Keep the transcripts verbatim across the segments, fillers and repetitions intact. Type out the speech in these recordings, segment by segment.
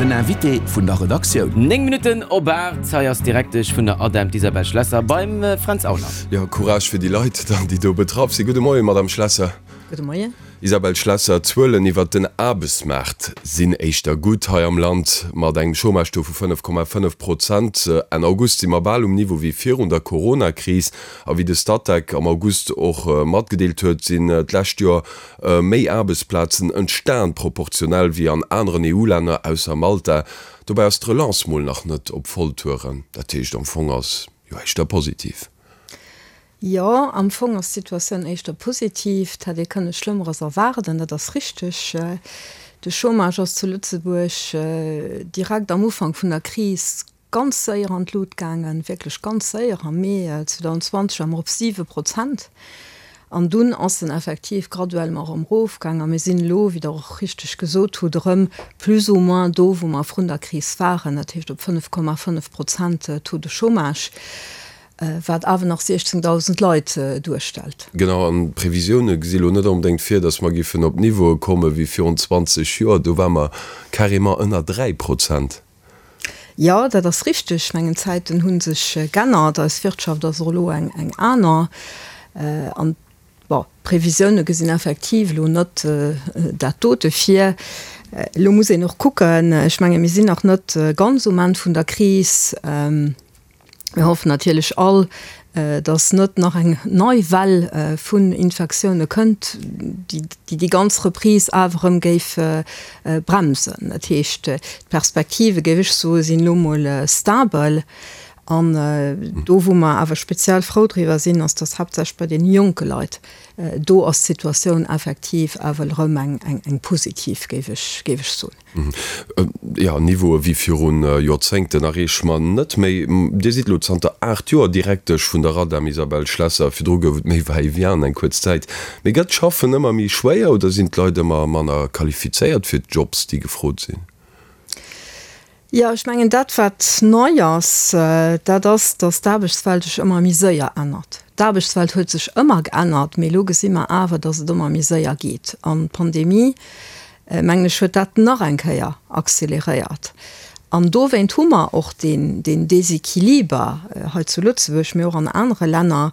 Den Invité vun der Redaktioun. Néng Minutten op aacht, hei ass d'Direktesch vun der ADEM, d'Isabelle Schlesser, beim Fränz Aulner. Jo, Courage fir déi Leit dann, déi do betraff sinn. Gudde Moien, Madame Schlesser. Gudde Moien. Isabelle Schlesser, d'Zuelen iwwert den Aarbechtsmaart sinn éischter gutt hei am Land. Mat engem Chômage-Taux vu fënnef Komma fënnef Prozent Enn August si mer bal um Niveau wéi virun der Coronakris. A wéi de Statec am August och matgedeelt huet, sinn d'lescht Joer méi Aarbechtsplazen entstan, proportionell, wéi an aneren E U-Länner, ausser Malta. Dobäi ass d'Relance mol nach net op Volltouren. Dat heescht, am Fong ass jo éischter positiv. Jo, am Fong ass d'Situatioun éischter positiv. Et hätt ee kënne Schlëmmeres erwaarden, dat ass richteg. De Chômage ass zu Lëtzebuerg direkt am Ufank vun der Kris ganz séier an d'Lut gaangen, wierklech ganz séier. Am Mee zweedausendzwanzeg ware mer op siwe Prozent. An dunn ass en effektiv graduellement erëm erofgaang a mir sinn elo, wéi Der och richteg gesot hutt, erëm plus ou moins do, wou mer vrun der Kris waren, dat heescht op fënnef Komma fënnef Prozent Taux de chômage. Wat awer nach siechzéngdausend Leit duerstellt. Genau, an d'Previsioune gesi lo net onbedéngt vir, datt mer giffen op Niveaue komme wéi virun zwanzeg Joer. Do ware mer carrément ënner dräi Prozent. Jo, dat ass richteg. Ech mengen, d'Zäiten hu sech g'ännert. Eis Wirtschaft ass och elo eng aner. An, bon, d'Previsioune gesinn effektiv elo net dat dote vir. Elo muss een och kucken, ech menge mir sinn nach net ganz um Enn vun der Kris. Mir hoffen natierlech all, dass net nach eng nei Well vun Infektioune kënnt, déi déi ganz Reprise awer erëm géif bremsen. Dat heescht, d'Perspektive, géif ech soen, sinn elo mol stabel. An do, wou mer awer speziell frou driwwer sinn, ass, dass haaptsächlech bei deene jonke Leit, do ass d'Situatioun effektiv awer erëm eng positiv, géif ech soen. Jo, Niveaue wéi viru Joerzéngten erreeche mer net méi. Dir sidd elo zanter aacht Joer Direktesch vun der RADEM, Isabelle Schlesser. Virdru gouf et méi Va-et-vient eng kuerz Zäit. Mee gëtt d'Schaffen ëmmer méi schwéier oder sinn d'Leit ëmmer manner qualifizéiert fir d'Jobs, déi gefrot sinn? Jo, ech mengen dat wat nei ass, dat ass, datt d'Aarbechtswelt sech ëmmer méi séier ännert. D'Aarbechtswelt huet sech ëmmer geännert, mee elo gesi mer awer, datt et ëmmer méi séier geet. An d'Pandemie, mengen ech, huet dat nach eng Kéier acceleréiert. An dowéint hu mer och deen Déséquiliber hei zu Lëtzebuerg, mee och an anere Länner,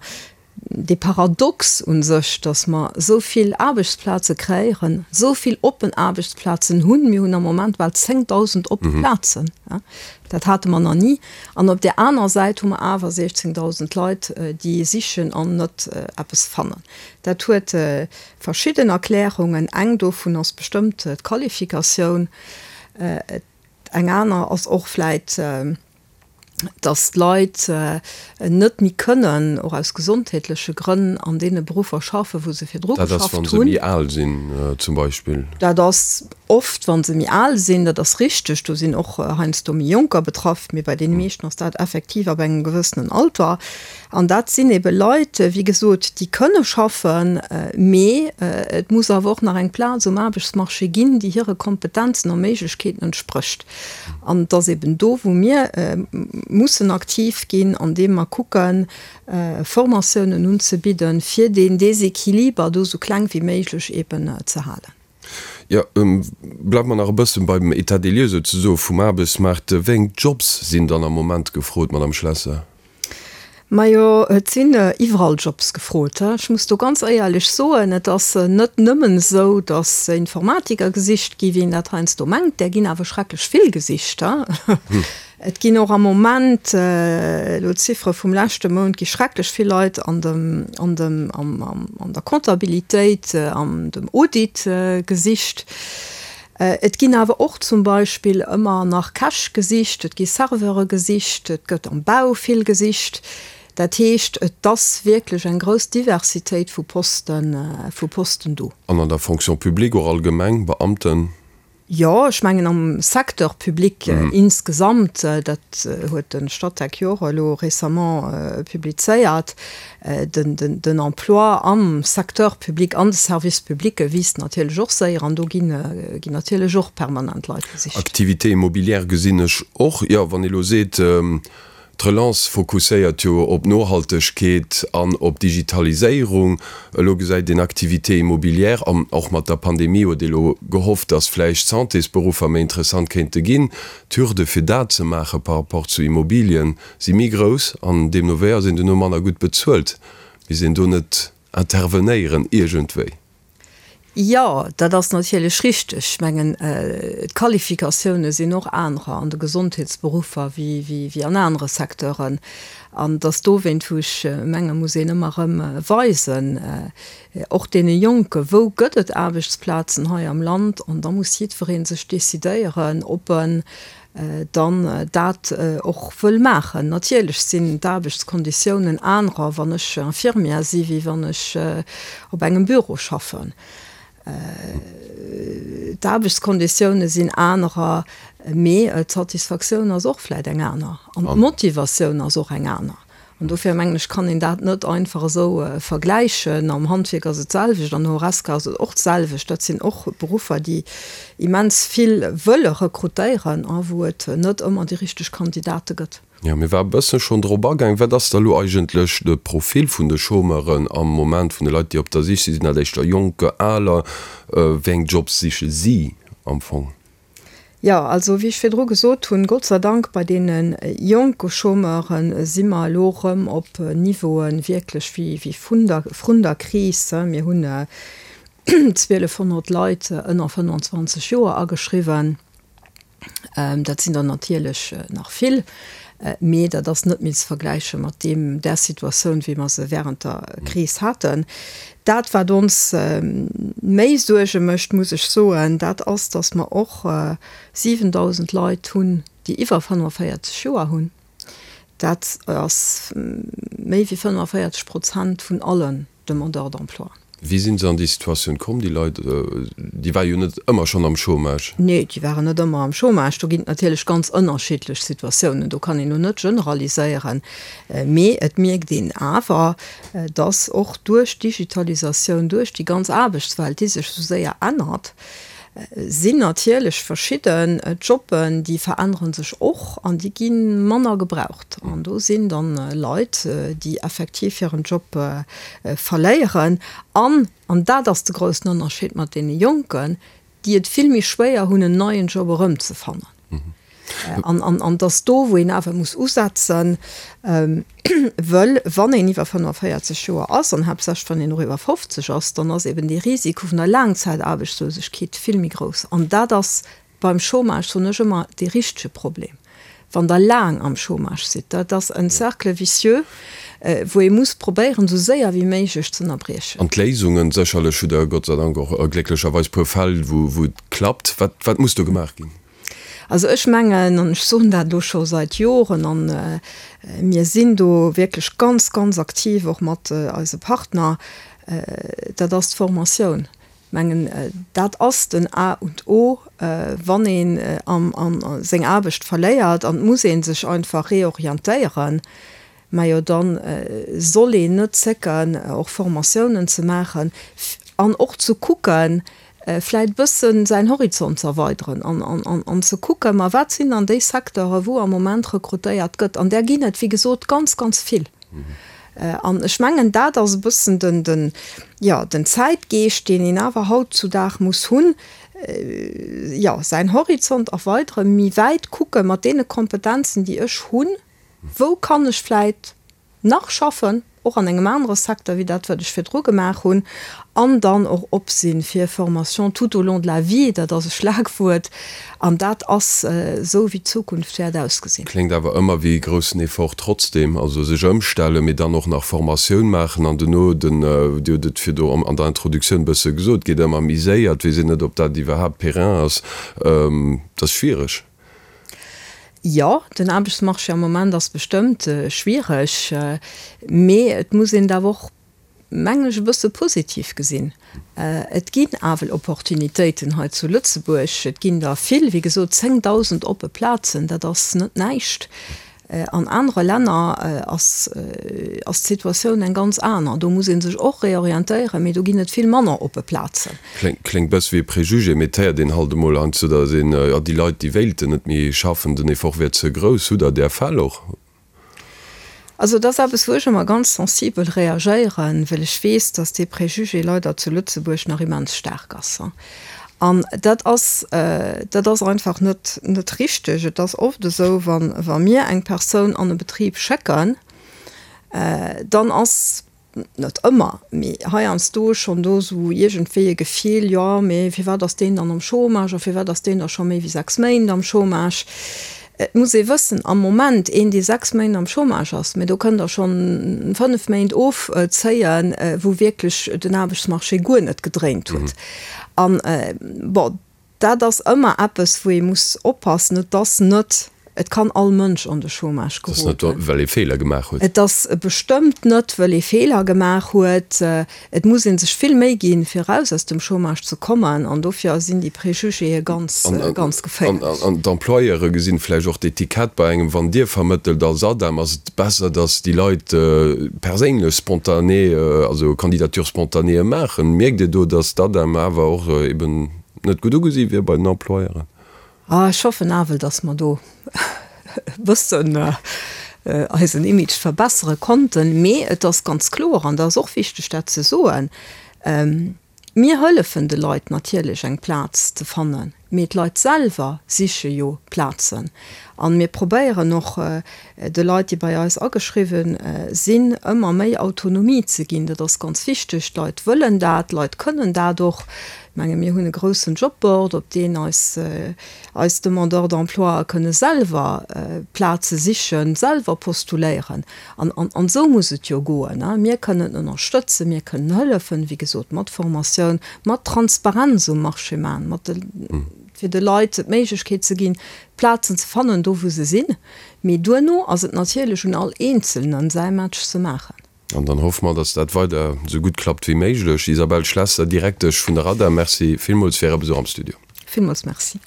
dee Paradox u sech, datt mer esou vill Aarbechtsplaze kreéieren, esou vill oppen Aarbechtsplazen hunn, mir hunn am Moment bal zéngdausend oppe Plazen, dat hate mer nach ni, an op där aner Säit hu mer awer siechzéngdausend Leit, déi sichen an net eppes fannen. Dat huet verschidden Erklärungen. Eng dovun ass bestëmmt d'Qualifikatioun. Eng aner ass och vläit, dass d'Leit net méi kënnen, och aus gesondheetleche Grënn, an deene Beruffer schaffen, wou se virdru Dat ass, wa geschafft se hunn. méi al sinn zum Beispill. Dat ass oft, wa se méi al sinn, dat ass richteg. Do sinn och heiansdo méi Jonker betraff, mee bei deene meeschten ass dat effektiv ab engem gewëssenen Alter. An dat sinn ebe Leit, wéi gesot, déi kënne schaffen, mee et muss awer och nach eng Plaz um Aarbechtsmarché ginn, déi hire Kompetenzen a Méiglechkeeten entsprécht. An et ass eben do, wou mir mussen aktiv ginn, andeem mer kucken, Formatiounen unzebidden, fir deen Déséquiliber do esou kleng wéi méiglech eben ze halen. Jo, bleiwe mer nach e bëssen beim État des lieux souzesoe vum Aarbechtsmaart. Wéi eng Jobs sinn dann am Moment gefrot, Madame Schlesser? Majo, et sinn iwwerall Jobs gefrot. Ech muss do ganz éierlech soen, et ass net nëmmen esou, datt Informatiker gesicht gi wéi een dat heiansdo mengt. Där ginn awer schrecklech vill gesicht. Et ginn och am Moment, elo d'Ziffere vum leschte Mount, gi schrecklech vill Leit an dem, an dem, am, an der Comptabilitéit, an dem Audit gesicht. Et ginn awer och zum Beispill ëmmer nach Käch gesicht, et gi Serveure gesicht, et gëtt am Bau vill gesicht. Dat heescht, et ass wierklech eng grouss Diversitéit vu Posten, vu Posten do. An an der Fonction publique och allgemeng, Beamten? Jo, ech mengen am Secteur public insgesamt, dat huet de Statec jo och elo récemment publizéiert, den Emploi am Secteur public, an de Services publics wiisst natierlech och séier an do ginn natierlech och permanent Leit gesicht. Activités immobilières gesinn ech och. Jo, wann ee elo seet, D'Relance fokusséiert jo op Nohaltegkeet an op Digitaliséierung. Elo gesäit een Activité immobilière an och mat der Pandemie huet ee lo gehofft, dass vläicht Santésberuffer méi interessant kéinte ginn. D'Hürde fir dat ze maache par rapport zu Immobilien si méi grouss an deemno wéi ass een duerno manner gutt bezuelt. Misst een do net intervenéieren iergendwéi? Jo, dat ass natierlech richteg. Ech mengen, d'Qualifikatioune sinn och anerer an de Gesondheetsberuffer wéi an anere Secteuren. An et ass dowéint, wou ech menge muss een ëmmer erëm weisen, och deene Jonken, wou gëtt et Aarbechtsplazen hei am Land. An da muss jiddweree sech decidéieren, ob en dann dat och wëll maachen. Natierlech sinn d'Aarbechtskonditiounen anerer, wann ech Infirmière si wéi wann ech op engem Büro schaffen. D'Aarbechtskonditioune sinn anerer, mee d'Satisfaktioun ass och vläit eng aner an d'Motivatioun ass och eng aner. An dofir mengen ech, kann een dat net einfach esou vergläichen. Am Handwierk ass et d'selwecht, an der Horesca ass et och d'selwecht. Dat sinn och Beruffer, déi immens vill wëlle rekrutéieren a wou et net ëmmer déi richteg Kandidate gëtt. Jo, mir ware bësse schonn drop agaang. Wat ass da lo eigentlech de Profil vun de Chômeuren am Moment, vun de Leit, déi op der Sich sinn? Sinn dat éischter Jonker, Aler? Wéi eng Jobs siche si am Fong? Jo, also wéi ech virdru gesot hunn, Gott sei Dank bei deene jonke Chômeure si mer elo erëm op Niveaue wierklech wéi vrun der, vrun der Kris. Mir hunn zwielefhonnert Leit ënner fënnanzwanzeg Joer ageschriwwen. Dat sinn der natierlech nach vill, mee dat ass net méi ze vergläiche mat deem, där Situatioun, wéi mer se während der Kris haten. Dat, wat ons méi Suerge mécht, muss ech soen, dat ass, dass mer och siwendausend Leit hunn, déi iwwer fënnefenvéierzeg Joer hunn. Dat ass méi wéi fënnefenvéierzeg Prozent vun allen Demandeurs d'emploi. Wéi sinn se an déi Situatioun komm, déi Leit? Déi ware jo net ëmmer schonn am Chômage. Nee, déi waren net ëmmer am Chômage. Do ginn et natierlech ganz ënnerschiddlech Situatiounen. Do kann een elo net generaliséieren. Mee et mierkt een awer, dass och duerch d'Digitalisatioun, duerch déi ganz Aarbechtswelt, déi sech esou séier ännert, sinn natierlech verschidden Jobben, déi verännere sech och an déi gi manner gebraucht. An do sinn dann Leit, déi effektiv hiren Job verléieren. An, an dat ass de groussen Ënnerscheed mat deene Jonken, déi et vill méi schwéier hunn, en neien Job erëmzefannen. An, an, an dass do, wou een awer muss usetzen, wëll wann een iwwer fënnefenvéierzeg Joer ass, an haaptsächlech wann een och iwwer fofzeg ass, dann ass eben dee Risiko vun der Laangzäitaarbechtslosegkeet vill méi grouss. An dat ass beim Chômage, soen ech ëmmer, dee richtege Problem, wann Der laang am Chômage sidd. Dat ass en Cercle vicieux, wou ee muss probéieren, esou séier wéi méiglech ze ënnerbriechen. An d'Léisungen, sécherlech hutt Der Gott sei Dank och glécklecherweis e puer Fäll, wou et klappt. Wat, wat muss do gemaach ginn? Also ech mengen, an ech soen dat elo scho seit Joren, an mir sinn do wierklech ganz, ganz aktiv och mat eise Partner, dat ass d'Formatioun. Ech mengen, dat ass den A und O, wann een seng Aarbecht verléiert an et muss ee sech einfach reorientéieren. Majo, da soll een net zécken, och Formatiounen ze maachen an och ze kucken, vläit bëssen säin Horizont ze erweideren an an ze kucken, ma wat sinn dann déi Secteure wou am Moment rekrutéiert gëtt. An där ginn et, wéi gesot, ganz, ganz vill. An ech mengen, dat ass e bëssen den, den, jo, den Zäitgeescht, deen een awer hautzudag muss hunn, jo, säin Horizont erweideren, méi wäit kucke mat deene Kompetenzen, déi ech hunn, wou kann ech vläit nach schaffen, och an engem anere Secteur wéi dat, wat ech virdru gemaach hunn, an dann och op si fir Formation tout au long de la vie, dat ass e Schlagwuert, an dat ass esou, wéi d'Zukunft wäert ausgesinn. Kléngt awer ëmmer wéi e groussen Effort trotzdem, also sech ëmstellen, mee dann och nach Formatioun maachen an duerno den, Dir hutt et virdu an der Introduktioun e bësse gesot, geet ëmmer méi séier, et weess een net, ob dat iwwerhaapt périn ass, dat ass schwiereg. Jo, den Aarbechtsmarché am Moment ass bestëmmt schwiereg, mee et muss een et awer och, mengen ech, e bësse positiv gesinn. Et ginn awel Opportunitéiten hei zu Lëtzebuerg, et ginn der vill, wéi gesot zéngdausend oppe Plazen, dat ass net näischt. An anere Länner ass d'Situatioun eng ganz aner. Do muss ee sech och reorientéieren, mee do ginn et vill manner oppe Plazen. Kléngt bësse wéi e Préjugé, mee et héiert een halt emol heiansdo, datt een, jo, déi Leit, déi wéilten net méi schaffen, den Effort wier ze grouss. Hutt Der där Fäll och? Also dat ass eppes, wou ech ëmmer ganz sensibel reagéieren, well ech weess, dass dee Préjugé leider zu Lëtzebuerg nach immens staark ass. An dat ass, dat ass einfach net, net richteg. Et ass oft esou, wa, wa mir eng Persoun an e Betrib schécken, dann ass, net ëmmer, mee heiansdo schonn do esou iergendwéi e Gefill, jo, mee firwat ass deen dann am Chômage a firwat ass deen da scho méi wéi sechs Méint am Chômage? Et muss ee wëssen, am Moment, een dee sechs Méint am Chômage ass, mee do kënnt Der schonn fënnef Méint ofzéien, wou wierklech den Aarbechtsmarché guer net gedréint huet. An, bon, dat ass ëmmer eppes, wou ee muss oppassen, et ass net, et kann all Mënsch an de Chômage Et ass net, geroden. well ee Feeler gemaach huet. Et ass bestëmmt net, well ee Feeler gemaach huet. Et muss ee sech vill Méi ginn, fir eraus aus dem Chômage ze kommen. An dofir sinn déi Préjugéë ganz, ganz geféierlech. An d'Employeure gesinn vläicht och d'Etikett bei engem, wann Dir vermëttelt als ADEM, ass et besser, datt déi Leit perséinlech spontané, also Candidature spontanéeë maachen. Mierkt Dir do, datt d'ADEM awer och eben net gutt ugesi wier bei den Employeuren? Ah, ech hoffen awel, dass mer do e bëssen eisen Image verbessere konnten. Mee et ass ganz kloer, an dat ass och wichteg, dat ze soen, Mir hëllefen de Leit natierlech, eng Plaz ze fannen, mee d'Leit selwer siche jo Plazen. A mir probéieren och, de Leit, déi bei eis ageschriwwen sinn, ëmmer méi Autonomie ze ginn. Dat ass ganz wichteg. D'Leit wëllen dat, d'Leit kënnen dat och. Ech menge mir hunn e groussen Jobboard, op deen eis eis Demandeurs d'emploi kënne selwer Plaze sichen, selwer postuléieren. An an an esou muss et jo goen. Mir kënnen ënnerstëtzen, mir kënnen hëllefen, wéi gesot, mat Formatioun, mat Transparenz um Marché maachen, mat de fir de Leit d'Méiglechkeet ze ginn, Plazen ze fannen, do wou se sinn. Mee duerno ass et natierlech un all Eenzelnen, säi Match ze maachen. An dann hoffe mer, dass dat weider esou gutt klappt wéi méiglech. Isabelle Schlesser, Direktesch vun der ADEM, Merci villmools fir Äre Besuch am Studio. Villmools Merci.